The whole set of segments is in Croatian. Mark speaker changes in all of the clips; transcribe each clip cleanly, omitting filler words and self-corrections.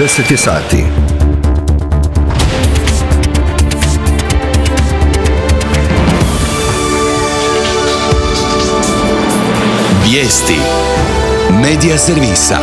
Speaker 1: 10 je sati.
Speaker 2: Vijesti Medija servisa.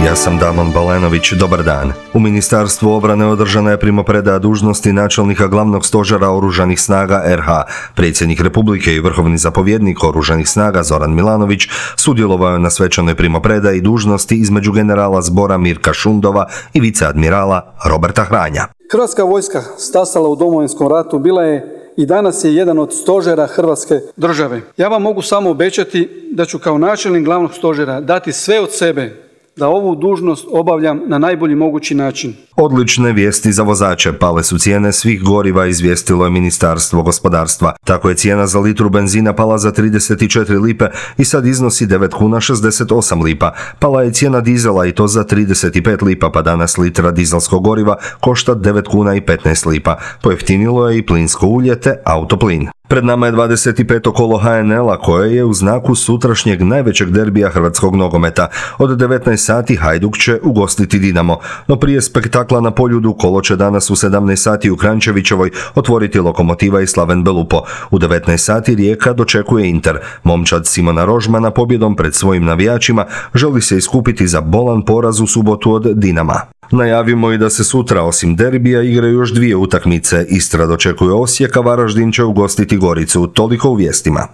Speaker 1: Ja sam Damon Balenović, dobar dan. U Ministarstvu obrane održana je primopredaja dužnosti načelnika glavnog stožera Oružanih snaga RH. Predsjednik Republike i vrhovni zapovjednik Oružanih snaga Zoran Milanović sudjelovao je na svečanoj primopredaji dužnosti između generala zbora Mirka Šundova i viceadmirala Roberta Hranja.
Speaker 3: Hrvatska vojska stasala u Domovinskom ratu bila je i danas je jedan od stožera Hrvatske države. Ja vam mogu samo obećati da ću kao načelnik glavnog stožera dati sve od sebe da ovu dužnost obavljam na najbolji mogući način.
Speaker 1: Odlične vijesti za vozače. Pale su cijene svih goriva, izvijestilo je Ministarstvo gospodarstva. Tako je cijena za litru benzina pala za 34 lipe i sad iznosi 9 kuna 68 lipa. Pala je cijena dizela i to za 35 lipa, pa danas litra dizelskog goriva košta 9 kuna i 15 lipa. Pojeftinilo je i plinsko ulje te autoplin. Pred nama je 25. kolo HNL-a koje je u znaku sutrašnjeg najvećeg derbija hrvatskog nogometa. Od 19 sati Hajduk će ugostiti Dinamo, no prije spektakla na Poljudu kolo će danas u 17 sati u Kranjčevićevoj otvoriti Lokomotiva i Slaven Belupo. U 19 sati Rijeka dočekuje Inter. Momčad Simona Rožmana pobjedom pred svojim navijačima želi se iskupiti za bolan poraz u subotu od Dinama. Najavimo i da se sutra osim derbija igraju još dvije utakmice. Istra dočekuje Osijek, a Varaždin će ugostiti Goricu. Toliko u vijestima.